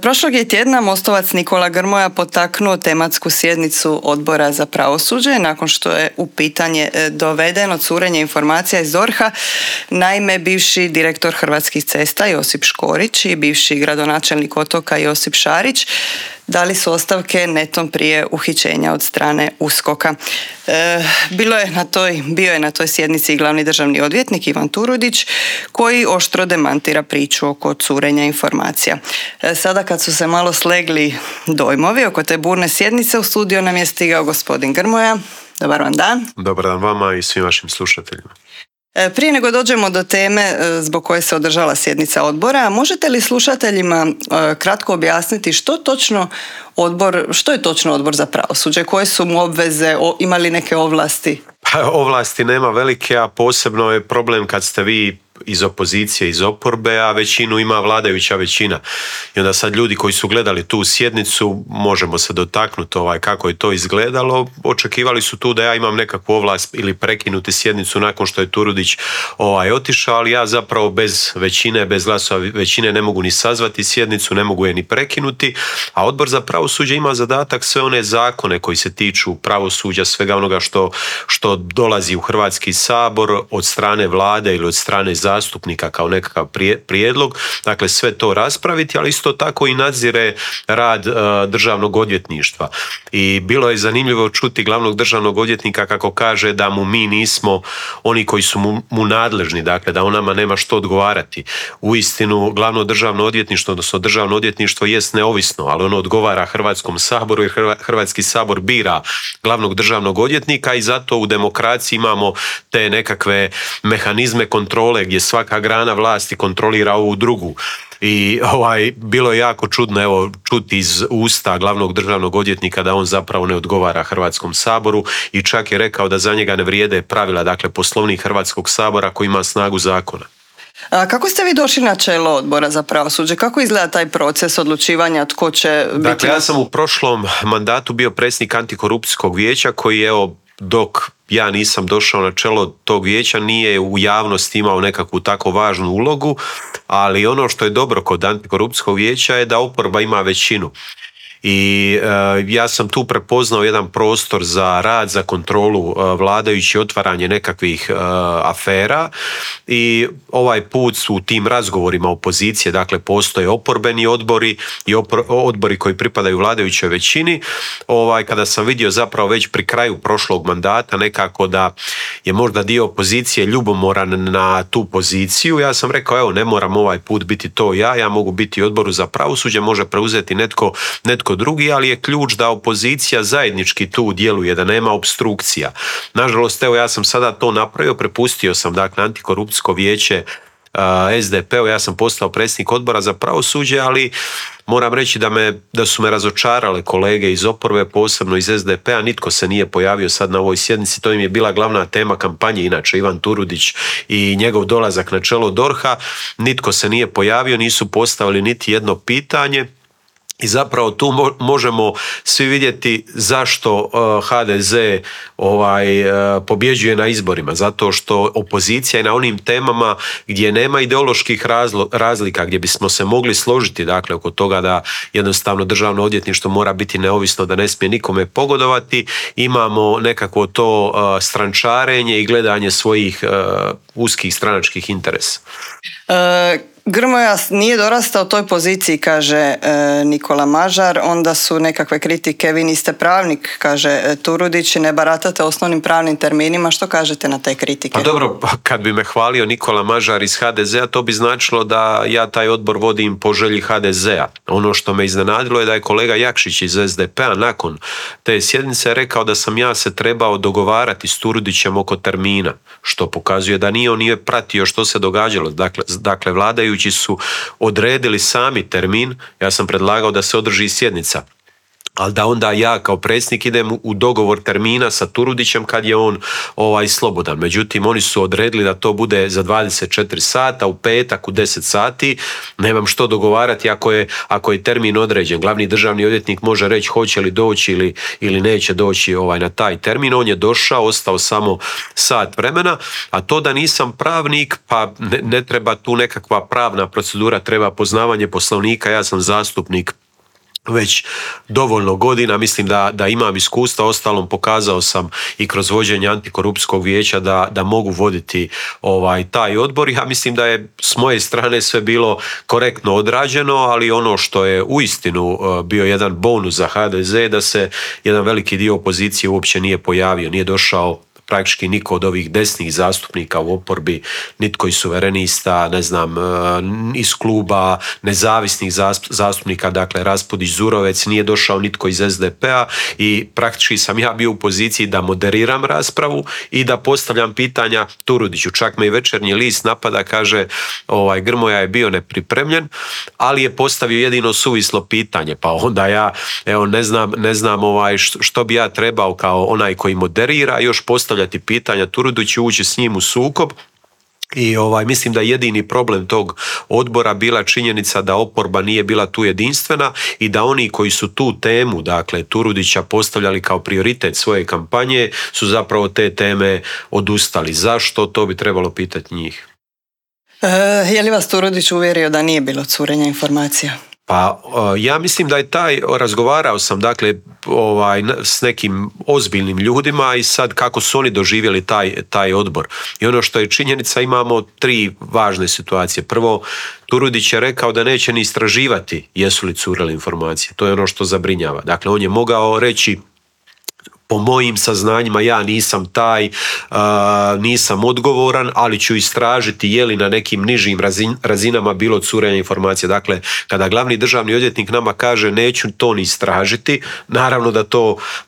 Prošlog je tjedna Mostovac Nikola Grmoja potaknuo tematsku sjednicu Odbora za pravosuđe nakon što je u pitanje dovedeno curenje informacija iz DORH-a. Naime, bivši direktor Hrvatskih cesta Josip Škorić i bivši gradonačelnik Otoka Josip Šarić dali su ostavke netom prije uhićenja od strane USKOK-a. Bio je na toj sjednici i glavni državni odvjetnik Ivan Turudić koji oštro demantira priču oko curenja informacija. Sada kad su se malo slegli dojmovi oko te burne sjednice, u studio nam je stigao gospodin Grmoja. Dobar vam dan. Dobar dan vama i svim vašim slušateljima. Prije nego dođemo do teme zbog koje se održala sjednica odbora, možete li slušateljima kratko objasniti što je točno Odbor za pravosuđe, koje su mu obveze, ima li neke ovlasti? Ovlasti nema velike, a posebno je problem kad ste vi iz opozicije, iz oporbe, a većinu ima vladajuća većina. I onda sad ljudi koji su gledali tu sjednicu, možemo se dotaknuti kako je to izgledalo, očekivali su tu da ja imam nekakvu ovlast ili prekinuti sjednicu nakon što je Turudić otišao, ali ja zapravo bez većine, bez glasova većine ne mogu ni sazvati sjednicu, ne mogu je ni prekinuti, a Odbor za pravosuđe ima zadatak sve one zakone koji se tiču pravosuđa, svega onoga što dolazi u Hrvatski sabor od strane vlade ili od strane zastupnika kao nekakav prijedlog, dakle sve to raspraviti, ali isto tako i nadzire rad državnog odvjetništva. I bilo je zanimljivo čuti glavnog državnog odvjetnika kako kaže da mu mi nismo oni koji su mu nadležni, dakle da on nama nema što odgovarati. Uistinu glavno državno odvjetništvo, odnosno državno odvjetništvo jest neovisno, ali ono odgovara Hrvatskom saboru jer Hrvatski sabor bira glavnog državnog odvjetnika i zato u demokraciji imamo te nekakve mehanizme kontrole gdje svaka grana vlasti kontrolira ovu drugu. I bilo je jako čudno čuti iz usta glavnog državnog odvjetnika da on zapravo ne odgovara Hrvatskom saboru i čak je rekao da za njega ne vrijede pravila, dakle Poslovnik Hrvatskog sabora koji ima snagu zakona. A kako ste vi došli na čelo Odbora za pravosuđe? Kako izgleda taj proces odlučivanja tko će biti? Dakle, ja sam u prošlom mandatu bio predsjednik Antikorupcijskog vijeća koji dok ja nisam došao na čelo tog vijeća nije u javnosti imao nekakvu tako važnu ulogu, ali ono što je dobro kod Antikorupcijskog vijeća je da oporba ima većinu. I ja sam tu prepoznao jedan prostor za rad, za kontrolu vladajući, otvaranje nekakvih afera i ovaj put su u tim razgovorima opozicije, dakle postoje oporbeni odbori i odbori koji pripadaju vladajućoj većini. Kada sam vidio zapravo već pri kraju prošlog mandata nekako da je možda dio opozicije ljubomoran na tu poziciju, ja sam rekao ne moram ovaj put biti to ja mogu biti u Odboru za pravosuđe, može preuzeti netko drugi, ali je ključ da opozicija zajednički tu djeluje, da nema opstrukcija. Nažalost, ja sam sada to napravio, prepustio sam dakle Antikorupcijsko vijeće SDP-u, ja sam postao predsjednik Odbora za pravosuđe, ali moram reći da su me razočarale kolege iz oporbe, posebno iz SDP-a, nitko se nije pojavio sad na ovoj sjednici, to im je bila glavna tema kampanje, inače Ivan Turudić i njegov dolazak na čelo DORH-a, nitko se nije pojavio, nisu postavili niti jedno pitanje. I zapravo tu možemo svi vidjeti zašto HDZ pobjeđuje na izborima. Zato što opozicija je na onim temama gdje nema ideoloških razlika, gdje bismo se mogli složiti dakle, oko toga da jednostavno državno odvjetništvo mora biti neovisno, da ne smije nikome pogodovati. Imamo nekako to strančarenje i gledanje svojih uskih stranačkih interesa. Grmoja nije dorastao toj poziciji, kaže Nikola Mažar, onda su nekakve kritike, vi niste pravnik, kaže Turudić, i ne baratate osnovnim pravnim terminima. Što kažete na te kritike? Pa dobro, kad bi me hvalio Nikola Mažar iz HDZ-a, to bi značilo da ja taj odbor vodim po želji HDZ-a. Ono što me iznenadilo je da je kolega Jakšić iz SDP-a nakon te sjednice rekao da sam ja se trebao dogovarati s Turudićem oko termina, što pokazuje da on nije pratio što se događalo. Dakle, vladajući su odredili sami termin, ja sam predlagao da se održi sjednica ali da onda ja kao predsjednik idem u dogovor termina sa Turudićem kad je on slobodan. Međutim, oni su odredili da to bude za 24 sata, u petak u 10 sati. Nemam što dogovarati ako je termin određen. Glavni državni odvjetnik može reći hoće li doći ili neće doći na taj termin. On je došao, ostao samo sat vremena, a to da nisam pravnik, pa ne treba tu nekakva pravna procedura, treba poznavanje Poslovnika. Ja sam zastupnik već dovoljno godina, mislim da imam iskustva, ostalom pokazao sam i kroz vođenje antikorupcijskog vijeća da mogu voditi taj odbor. Ja mislim da je s moje strane sve bilo korektno odrađeno, ali ono što je uistinu bio jedan bonus za HDZ da se jedan veliki dio opozicije uopće nije pojavio, nije došao praktički niko od ovih desnih zastupnika u oporbi, nitko iz Suverenista, ne znam, iz kluba nezavisnih zastupnika, dakle Raspudić, Zurovec, nije došao nitko iz SDP-a i praktički sam ja bio u poziciji da moderiram raspravu i da postavljam pitanja Turudiću. Čak me i Večernji list napada, kaže Grmoja je bio nepripremljen, ali je postavio jedino suvislo pitanje, pa onda ja ne znam što bi ja trebao kao onaj koji moderira još postavljati pitanja Turudiću, ući s njim u sukob. I mislim da je jedini problem tog odbora bila činjenica da oporba nije bila tu jedinstvena i da oni koji su tu temu, dakle Turudića, postavljali kao prioritet svoje kampanje su zapravo te teme odustali. Zašto? To bi trebalo pitati njih. Je li vas Turudić uvjerio da nije bilo curenja informacija? Pa ja mislim da je razgovarao sam dakle s nekim ozbiljnim ljudima i sad kako su oni doživjeli taj odbor. I ono što je činjenica, imamo 3 važne situacije. Prvo, Turudić je rekao da neće ni istraživati jesu li curele informacije. To je ono što zabrinjava. Dakle, on je mogao reći po mojim saznanjima ja nisam taj, nisam odgovoran, ali ću istražiti je li na nekim nižim razinama bilo curenja informacija. Dakle, kada glavni državni odvjetnik nama kaže neću to ni istražiti, naravno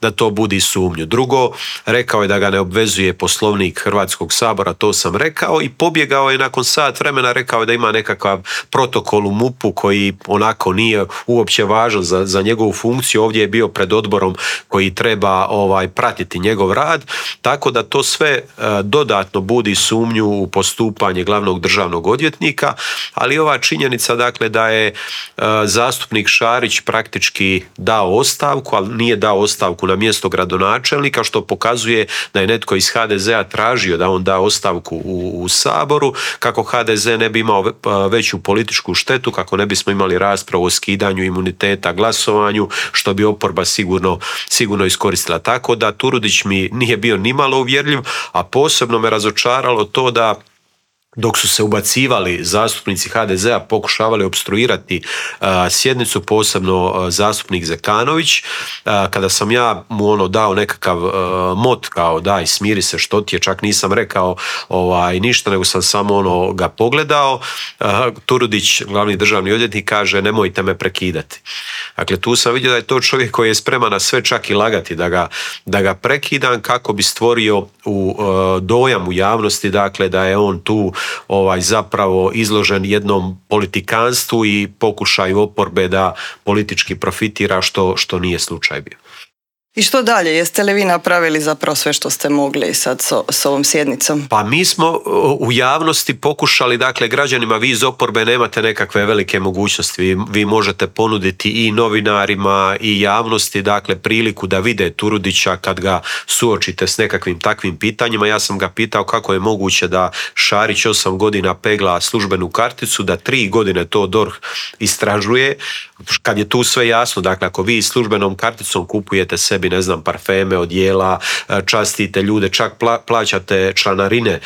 da to budi sumnju. Drugo, rekao je da ga ne obvezuje Poslovnik Hrvatskog sabora, to sam rekao, i pobjegao je nakon sat vremena, rekao je da ima nekakav protokol u MUP-u koji onako nije uopće važan za njegovu funkciju. Ovdje je bio pred odborom koji treba pratiti njegov rad, tako da to sve dodatno budi sumnju u postupanje glavnog državnog odvjetnika, ali ova činjenica dakle da je zastupnik Šarić praktički dao ostavku, ali nije dao ostavku na mjesto gradonačelnika, što pokazuje da je netko iz HDZ-a tražio da on da ostavku u Saboru, kako HDZ ne bi imao veću političku štetu, kako ne bismo imali raspravu o skidanju imuniteta, glasovanju, što bi oporba sigurno iskoristila. Tako da Turudić mi nije bio nimalo uvjerljiv, a posebno me razočaralo to da dok su se ubacivali zastupnici HDZ-a, pokušavali opstruirati sjednicu, posebno zastupnik Zekanović, kada sam ja mu dao nekakav mot kao daj smiri se što ti je, čak nisam rekao ništa, nego sam samo ga pogledao, Turudić, glavni državni odvjetnik, kaže nemojte me prekidati. Dakle, tu sam vidio da je to čovjek koji je spreman na sve, čak i lagati da ga prekidam, kako bi stvorio dojam u javnosti, dakle da je on tu zapravo izložen jednom politikanstvu i pokušaju oporbe da politički profitira, što nije slučaj bio. I što dalje? Jeste li vi napravili zapravo sve što ste mogli sad s ovom sjednicom? Pa mi smo u javnosti pokušali, dakle građanima, vi iz oporbe nemate nekakve velike mogućnosti, vi možete ponuditi i novinarima i javnosti dakle priliku da vide Turudića kad ga suočite s nekakvim takvim pitanjima. Ja sam ga pitao kako je moguće da Šarić 8 godina pegla službenu karticu, da 3 godine to DORH istražuje, kad je tu sve jasno. Dakle, ako vi službenom karticom kupujete sebi, ne znam, parfeme, odjela, častite ljude, čak plaćate članarine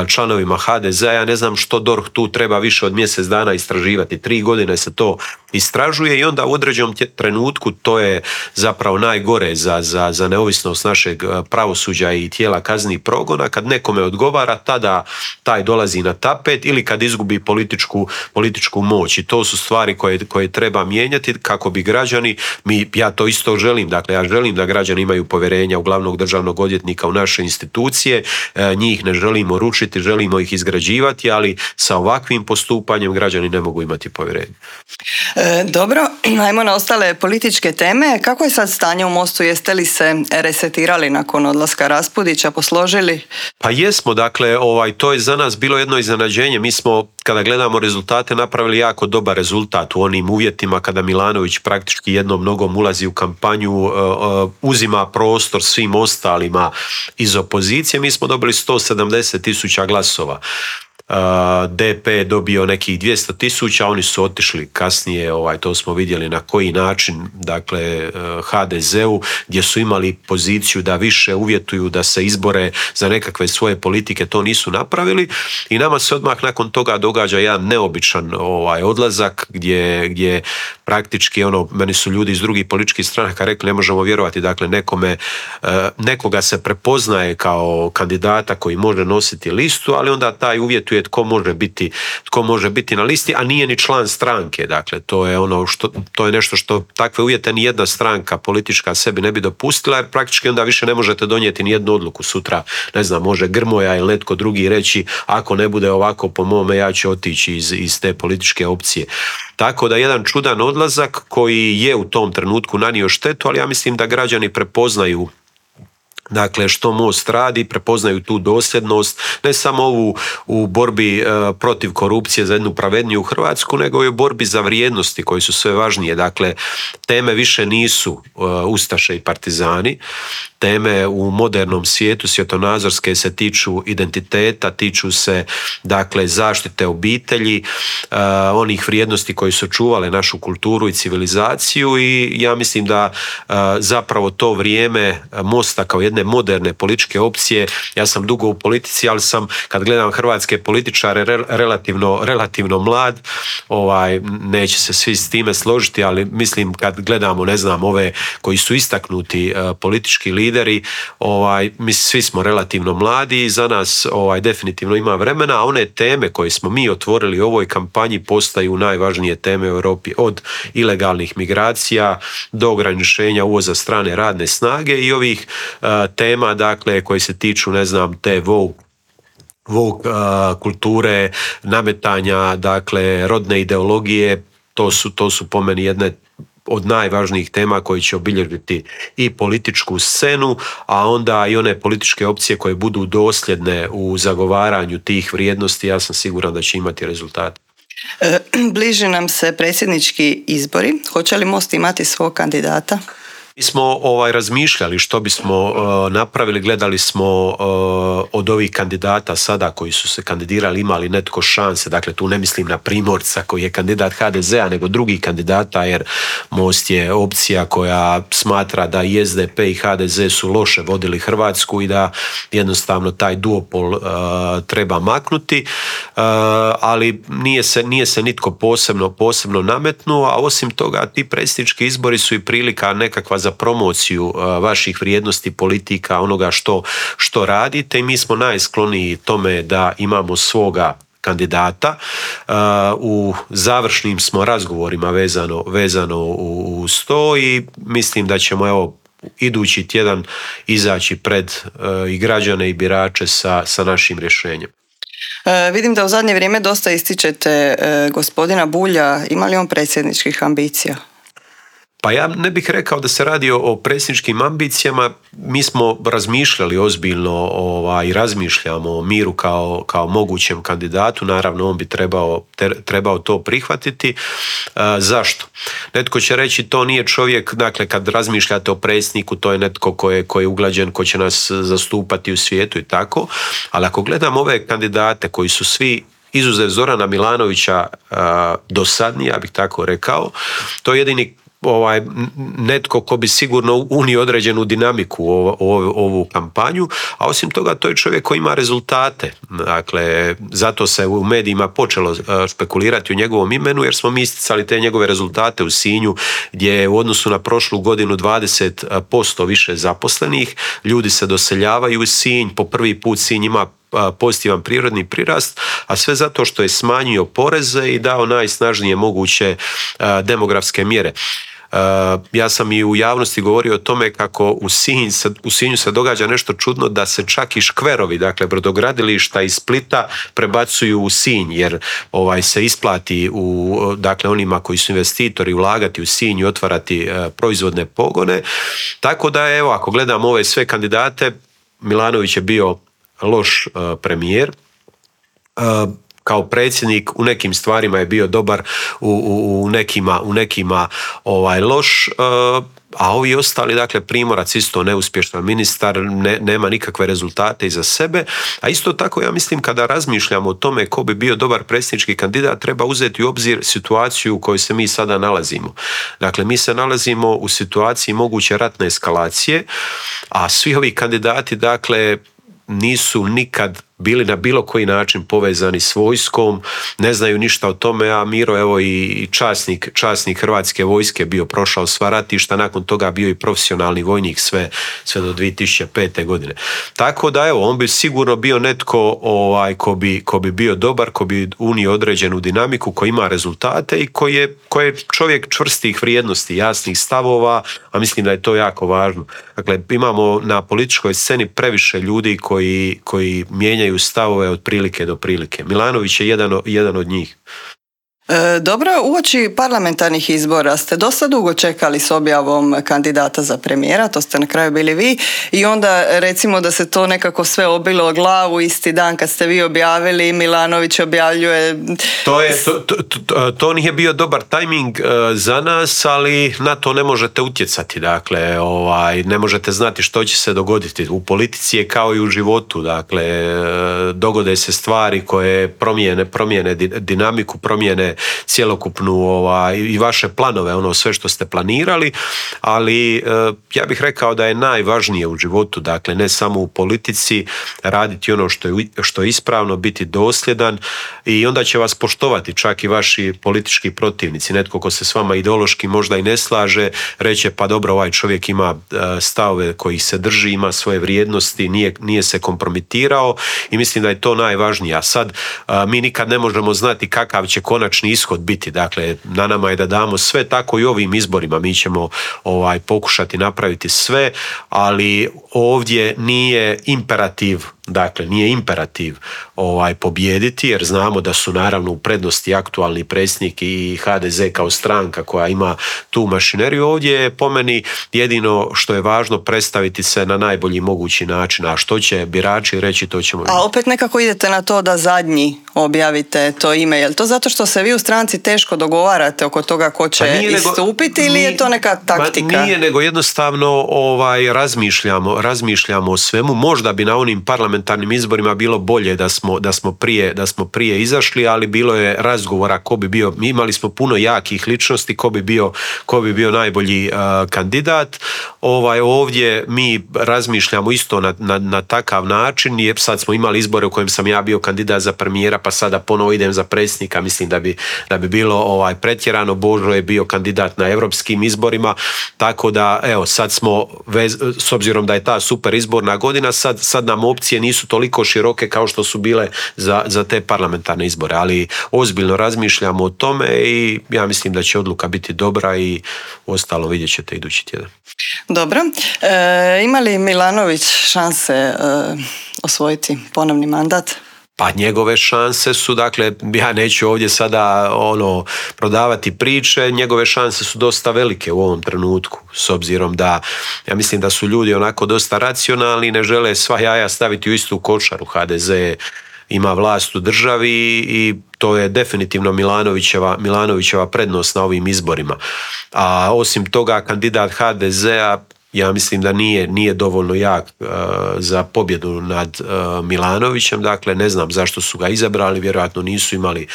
članovima HDZ-a, ja ne znam što DORH tu treba više od mjesec dana istraživati. 3 godine se to istražuje i onda u određenom trenutku, to je zapravo najgore za neovisnost našeg pravosuđa i tijela kaznenih progona, kad nekome odgovara, tada taj dolazi na tapet, ili kad izgubi političku moć. I to su stvari koje treba mijenjati kako bi građani, ja to isto želim, dakle ja želim da građani imaju povjerenja u glavnog državnog odvjetnika, u naše institucije, njih ne želimo rušiti, želimo ih izgrađivati, ali sa ovakvim postupanjem građani ne mogu imati povjerenje. Dobro, ajmo na ostale političke teme. Kako je sad stanje u Mostu? Jeste li se resetirali nakon odlaska Raspudića, posložili? Pa jesmo, dakle, to je za nas bilo jedno iznenađenje. Mi smo, kada gledamo rezultate, napravili jako dobar rezultat u onim uvjetima kada Milanović praktički jednom nogom ulazi u kampanju, uzima prostor svim ostalima iz opozicije. Mi smo dobili 170.000 glasova. DP je dobio nekih 200.000, oni su otišli kasnije, to smo vidjeli na koji način, dakle HDZ-u, gdje su imali poziciju da više uvjetuju da se izbore za nekakve svoje politike, to nisu napravili i nama se odmah nakon toga događa jedan neobičan odlazak gdje praktički meni su ljudi iz drugih političkih stranaka rekli ne možemo vjerovati, dakle nekoga se prepoznaje kao kandidata koji može nositi listu, ali onda taj uvjetuje tko može biti na listi, a nije ni član stranke. Dakle, to je nešto što takve uvjete ni jedna stranka politička sebi ne bi dopustila, jer praktički onda više ne možete donijeti ni jednu odluku sutra. Ne znam, može Grmoja ili netko drugi reći ako ne bude ovako po mome ja ću otići iz te političke opcije. Tako da jedan čudan odlazak koji je u tom trenutku nanio štetu, ali ja mislim da građani prepoznaju dakle što Most radi, prepoznaju tu dosljednost, ne samo ovu u borbi protiv korupcije za jednu pravedniju Hrvatsku, nego i u borbi za vrijednosti koje su sve važnije. Dakle, teme više nisu ustaše i partizani, teme u modernom svijetu svjetonazorske se tiču identiteta, tiču se dakle zaštite obitelji, onih vrijednosti koje su čuvale našu kulturu i civilizaciju i ja mislim da zapravo to vrijeme Mosta kao jedne moderne političke opcije, ja sam dugo u politici, ali sam kad gledam hrvatske političare relativno mlad, neće se svi s time složiti, ali mislim kad gledamo, ne znam, ove koji su istaknuti politički lideri, svi smo relativno mladi i za nas definitivno ima vremena, a one teme koje smo mi otvorili u ovoj kampanji postaju najvažnije teme u Europi, od ilegalnih migracija do ograničenja uvoza strane radne snage i ovih tema dakle koje se tiču, ne znam, te woke kulture, nametanja dakle rodne ideologije. To su po meni jedne od najvažnijih tema koji će obilježiti i političku scenu, a onda i one političke opcije koje budu dosljedne u zagovaranju tih vrijednosti, ja sam siguran da će imati rezultat. Bliži nam se predsjednički izbori. Hoće li Most imati svog kandidata? Mi smo razmišljali što bismo napravili, gledali smo od ovih kandidata sada koji su se kandidirali imali netko šanse, dakle tu ne mislim na Primorca koji je kandidat HDZ-a, nego drugih kandidata, jer Most je opcija koja smatra da i SDP i HDZ su loše vodili Hrvatsku i da jednostavno taj duopol treba maknuti, ali nije se nitko posebno nametnuo, a osim toga ti predsjednički izbori su i prilika nekakva za promociju vaših vrijednosti, politika, onoga što radite i mi smo najskloniji tome da imamo svoga kandidata. U završnim smo razgovorima vezano uz to i mislim da ćemo idući tjedan izaći pred i građane i birače sa našim rješenjem. Vidim da u zadnje vrijeme dosta ističete gospodina Bulja. Ima li on predsjedničkih ambicija? Pa ja ne bih rekao da se radi o predsjedničkim ambicijama. Mi smo razmišljali ozbiljno i razmišljamo o Miru kao mogućem kandidatu. Naravno, on bi trebao to prihvatiti. Zašto? Netko će reći to nije čovjek, dakle kad razmišljate o predsjedniku, to je netko ko je uglađen, ko će nas zastupati u svijetu i tako. Ali ako gledam ove kandidate koji su svi izuzev Zorana Milanovića dosadni, ja bih tako rekao, to je jedini netko ko bi sigurno unio određenu dinamiku u ovu kampanju, a osim toga to je čovjek koji ima rezultate. Dakle, zato se u medijima počelo špekulirati o njegovom imenu, jer smo mi isticali te njegove rezultate u Sinju, gdje je u odnosu na prošlu godinu 20% više zaposlenih, ljudi se doseljavaju u Sinj, po prvi put Sinj ima pozitivan prirodni prirast, a sve zato što je smanjio poreze i dao najsnažnije moguće demografske mjere. Ja sam i u javnosti govorio o tome kako u Sinju se događa nešto čudno, da se čak i škverovi, dakle brodogradilišta iz Splita prebacuju u Sinj, jer se isplati dakle onima koji su investitori ulagati u Sinj i otvarati proizvodne pogone. Tako da evo, ako gledamo ove sve kandidate, Milanović je bio loš premijer. Kao predsjednik u nekim stvarima je bio dobar, u nekima loš, a ovi ostali, dakle Primorac isto neuspješan ministar, nema nikakve rezultate iza sebe. A isto tako ja mislim, kada razmišljamo o tome ko bi bio dobar predsjednički kandidat, treba uzeti u obzir situaciju u kojoj se mi sada nalazimo. Dakle, mi se nalazimo u situaciji moguće ratne eskalacije, a svi ovi kandidati, dakle, nisu nikad bili na bilo koji način povezani s vojskom, ne znaju ništa o tome, a Miro, evo i časnik Hrvatske vojske, bio prošao sva ratišta, nakon toga bio i profesionalni vojnik sve do 2005. godine. Tako da evo, on bi sigurno bio netko ko bi bio dobar, ko bi unio određenu dinamiku, ko ima rezultate i ko je čovjek čvrstih vrijednosti, jasnih stavova, a mislim da je to jako važno. Dakle, imamo na političkoj sceni previše ljudi koji mijenjaju stavove od prilike do prilike. Milanović je jedan od njih. Dobro, uoči parlamentarnih izbora ste dosta dugo čekali s objavom kandidata za premijera, to ste na kraju bili vi, i onda recimo da se to nekako sve obilo o glavu isti dan kad ste vi objavili, Milanović objavljuje... To nije bio dobar tajming za nas, ali na to ne možete utjecati, dakle, ne možete znati što će se dogoditi. U politici je kao i u životu, dakle, dogode se stvari koje promijene dinamiku, promijene cjelokupnu i vaše planove, sve što ste planirali, ali ja bih rekao da je najvažnije u životu, dakle ne samo u politici, raditi ono što je ispravno, biti dosljedan, i onda će vas poštovati čak i vaši politički protivnici. Netko ko se s vama ideološki možda i ne slaže, reće pa dobro, ovaj čovjek ima stavove kojih se drži, ima svoje vrijednosti, nije se kompromitirao, i mislim da je to najvažnije. A sad mi nikad ne možemo znati kakav će konačni ishod biti. Dakle, na nama je da damo sve, tako i ovim izborima. Mi ćemo pokušati napraviti sve, ali ovdje nije imperativ pobijediti, jer znamo da su naravno u prednosti aktualni predsjednik i HDZ kao stranka koja ima tu mašineriju. Ovdje je po meni jedino što je važno predstaviti se na najbolji mogući način, a što će birači reći, to ćemo vidjeti. A opet nekako idete na to da zadnji objavite to ime. Je li to zato što se vi u stranci teško dogovarate oko toga ko će istupiti, ili je to neka taktika? Nije, nego jednostavno razmišljamo o svemu. Možda bi na onim parlamentarnim izborima bilo bolje da smo prije izašli, ali bilo je razgovora ko bi bio. Mi imali smo puno jakih ličnosti, ko bi bio najbolji kandidat. Ovdje mi razmišljamo isto na takav način, jer sad smo imali izbore u kojem sam ja bio kandidat za premijera, pa sada ponovo idem za predsjednika. Mislim da bi bilo pretjerano. Božo je bio kandidat na europskim izborima, tako da evo, sad smo, s obzirom da je ta super izborna godina, sad nam opcije nisu toliko široke kao što su bile za te parlamentarne izbore, ali ozbiljno razmišljamo o tome i ja mislim da će odluka biti dobra, i ostalo vidjet ćete idući tjedan. Dobro. Ima li Milanović šanse osvojiti ponovni mandat? Pa njegove šanse su, dakle, ja neću ovdje sada prodavati priče, njegove šanse su dosta velike u ovom trenutku, s obzirom da ja mislim da su ljudi onako dosta racionalni i ne žele sva jaja staviti u istu košaru. HDZ ima vlast u državi i to je definitivno Milanovićeva prednost na ovim izborima. A osim toga, kandidat HDZ-a ja mislim da nije dovoljno jak za pobjedu nad Milanovićem, dakle ne znam zašto su ga izabrali, vjerojatno nisu imali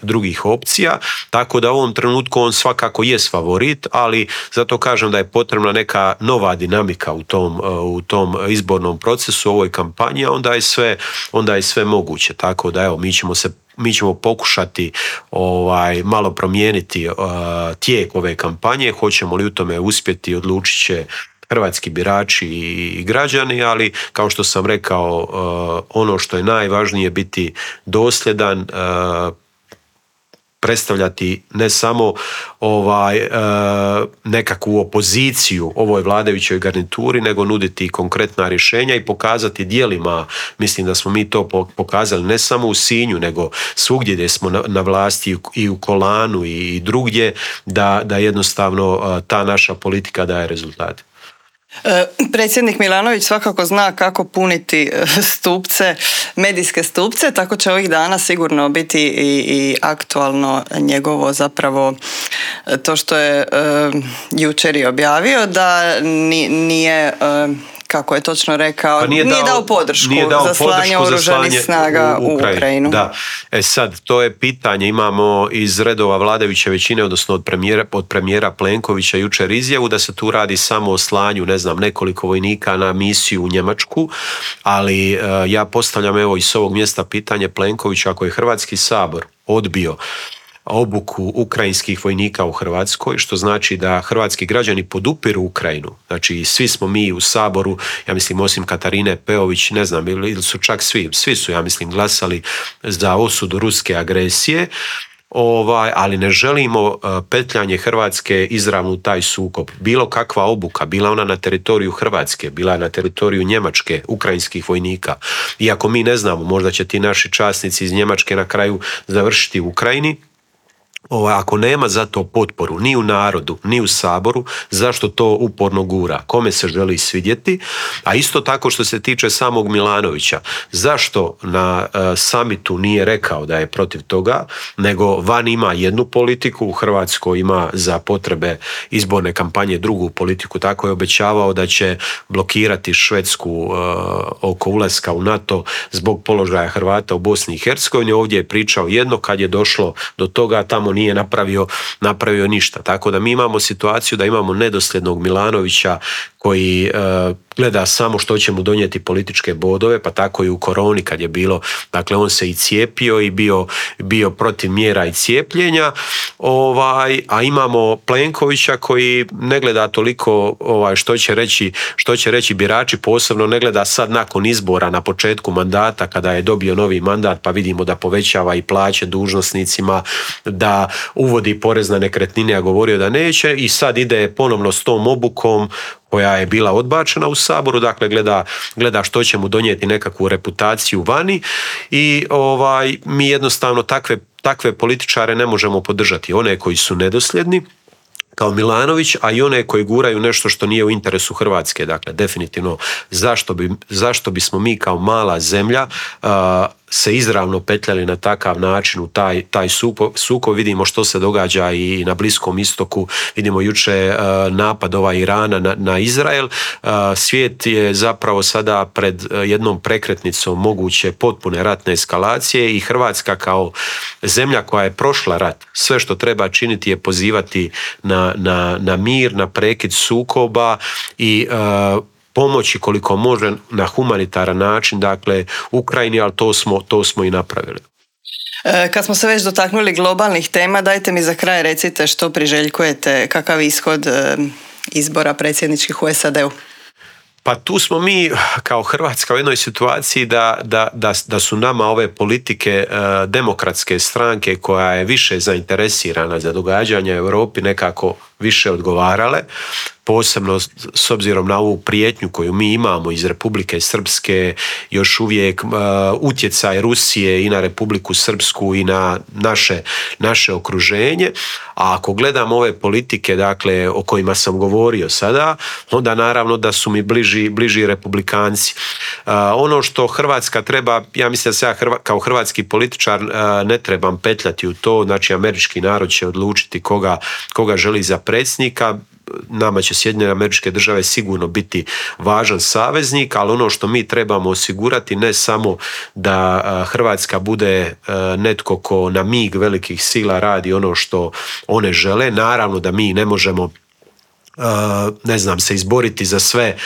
drugih opcija, tako da u ovom trenutku on svakako jest favorit, ali zato kažem da je potrebna neka nova dinamika u tom izbornom procesu, u ovoj kampanji, a onda je sve moguće, tako da evo, mi ćemo pokušati malo promijeniti tijek ove kampanje. Hoćemo li u tome uspjeti, odlučit će hrvatski birači i građani, ali kao što sam rekao, ono što je najvažnije, biti dosljedan, predstavljati ne samo nekakvu opoziciju ovoj vladajućoj garnituri, nego nuditi konkretna rješenja i pokazati djelima. Mislim da smo mi to pokazali ne samo u Sinju, nego svugdje gdje smo na vlasti i u Kolanu i drugdje, da jednostavno ta naša politika daje rezultate. Predsjednik Milanović svakako zna kako puniti stupce, medijske stupce, tako će ovih dana sigurno biti i aktualno njegovo zapravo to što je jučer i objavio, da nije kako je točno rekao, nije dao podršku za slanje oružanih snaga u Ukrajinu. Da. Sad, to je pitanje, imamo iz redova vladajuće većine, odnosno od premijera Plenkovića jučer izjavu da se tu radi samo o slanju, nekoliko vojnika na misiju u Njemačku, ali ja postavljam evo i s ovog mjesta pitanje Plenkovića, ako je Hrvatski sabor odbio obuku ukrajinskih vojnika u Hrvatskoj, što znači da hrvatski građani podupiru Ukrajinu. Znači svi smo mi u Saboru, ja mislim osim Katarine Peović, ne znam, ili su čak svi su, ja mislim, glasali za osudu ruske agresije, ali ne želimo petljanje Hrvatske izravno u taj sukob. Bilo kakva obuka, bila ona na teritoriju Hrvatske, bila na teritoriju Njemačke, ukrajinskih vojnika. Iako mi ne znamo, možda će ti naši časnici iz Njemačke na kraju završiti u Ukrajini, ako nema za to potporu ni u narodu, ni u Saboru, zašto to uporno gura? Kome se želi svidjeti? A isto tako što se tiče samog Milanovića, zašto na samitu nije rekao da je protiv toga, nego van ima jednu politiku, u Hrvatskoj ima za potrebe izborne kampanje drugu politiku, tako je obećavao da će blokirati Švedsku oko ulaska u NATO zbog položaja Hrvata u Bosni i Hercegovini. Ovdje je pričao jedno, kad je došlo do toga tamo nije napravio ništa. Tako da mi imamo situaciju da imamo nedosljednog Milanovića koji gleda samo što će mu donijeti političke bodove, pa tako i u koroni kad je bilo, dakle on se i cijepio i bio protiv mjera i cijepljenja, a imamo Plenkovića koji ne gleda toliko što će reći birači, posebno ne gleda sad nakon izbora na početku mandata kada je dobio novi mandat, pa vidimo da povećava i plaće dužnosnicima, da uvodi porez na nekretnine, a govorio da neće, i sad ide ponovno s tom obukom koja je bila odbačena u Saboru, dakle gleda što će mu donijeti nekakvu reputaciju vani i mi jednostavno takve političare ne možemo podržati. One koji su nedosljedni, kao Milanović, a i one koji guraju nešto što nije u interesu Hrvatske. Dakle, definitivno zašto bismo mi kao mala zemlja se izravno petljali na takav način u taj sukob. Vidimo što se događa i na Bliskom istoku, vidimo juče napad Irana na Izrael. Svijet je zapravo sada pred jednom prekretnicom moguće potpune ratne eskalacije i Hrvatska kao zemlja koja je prošla rat, sve što treba činiti je pozivati na mir, na prekid sukoba i pomoći koliko može na humanitaran način, dakle Ukrajini, ali to smo i napravili. Kad smo se već dotaknuli globalnih tema, dajte mi za kraj recite što priželjkujete, kakav ishod izbora predsjedničkih u SAD-u? Pa tu smo mi kao Hrvatska u jednoj situaciji da su nama ove politike demokratske stranke koja je više zainteresirana za događanja u Europi nekako više odgovarale, posebno s obzirom na ovu prijetnju koju mi imamo iz Republike Srpske, još uvijek utjecaj Rusije i na Republiku Srpsku i na naše okruženje. A ako gledam ove politike, dakle, o kojima sam govorio sada, onda naravno da su mi bliži republikanci. Ono što Hrvatska treba, ja mislim da se ja kao hrvatski političar ne trebam petljati u to, znači američki narod će odlučiti koga želi za predsjednika. Nama će Sjedinjene Američke Države sigurno biti važan saveznik, ali ono što mi trebamo osigurati ne samo da Hrvatska bude netko ko na mig velikih sila radi ono što one žele, naravno da mi ne možemo ne znam, se izboriti za sve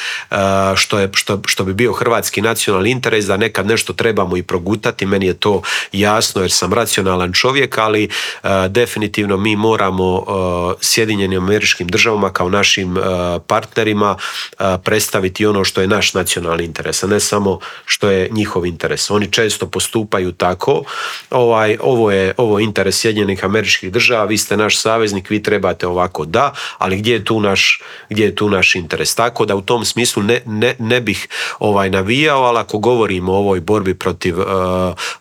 što bi bio hrvatski nacionalni interes, da nekad nešto trebamo i progutati, meni je to jasno jer sam racionalan čovjek, ali definitivno mi moramo Sjedinjenim Američkim Državama kao našim partnerima predstaviti ono što je naš nacionalni interes, a ne samo što je njihov interes. Oni često postupaju tako, ovo je interes Sjedinjenih Američkih Država, vi ste naš saveznik, vi trebate ovako, da, ali gdje je tu naš interes. Tako da u tom smislu ne bih navijao, ali ako govorimo o ovoj borbi protiv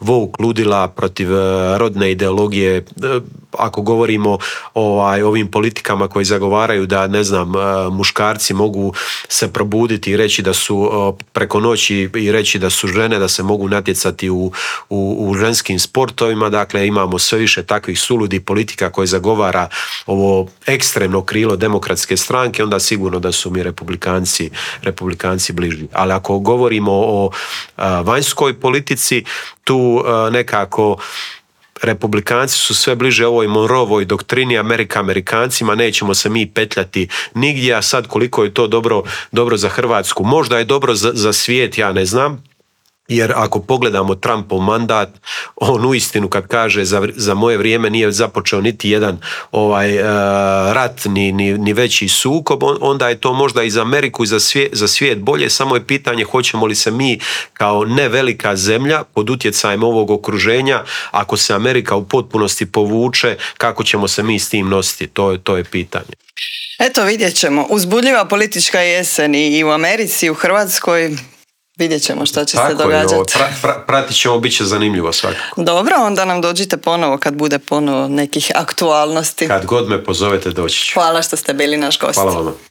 woke ludila, protiv rodne ideologije, ako govorimo o ovim politikama koji zagovaraju da, ne znam, muškarci mogu se probuditi i reći da su preko noći i reći da su žene, da se mogu natjecati u ženskim sportovima, dakle imamo sve više takvih suludih politika koje zagovara ovo ekstremno krilo demokratske stranke, onda sigurno da su mi republikanci bliži. Ali ako govorimo o vanjskoj politici, tu nekako republikanci su sve bliže ovoj Monroevoj doktrini, Amerikancima, nećemo se mi petljati nigdje, a sad koliko je to dobro za Hrvatsku, možda je dobro za svijet, ja ne znam. Jer ako pogledamo Trumpov mandat, on uistinu kad kaže za moje vrijeme nije započeo niti jedan rat ni veći sukob, onda je to možda i za Ameriku i za svijet bolje, samo je pitanje hoćemo li se mi kao ne velika zemlja pod utjecajem ovog okruženja, ako se Amerika u potpunosti povuče, kako ćemo se mi s tim nositi, to je pitanje. Eto, vidjet ćemo. Uzbudljiva politička jesen i u Americi i u Hrvatskoj. Vidjet ćemo šta će se događati. Pratit ćemo, bit će zanimljivo svakako. Dobro, onda nam dođite ponovo kad bude ponovo nekih aktualnosti. Kad god me pozovete doći ću. Hvala što ste bili naš gost. Hvala vam.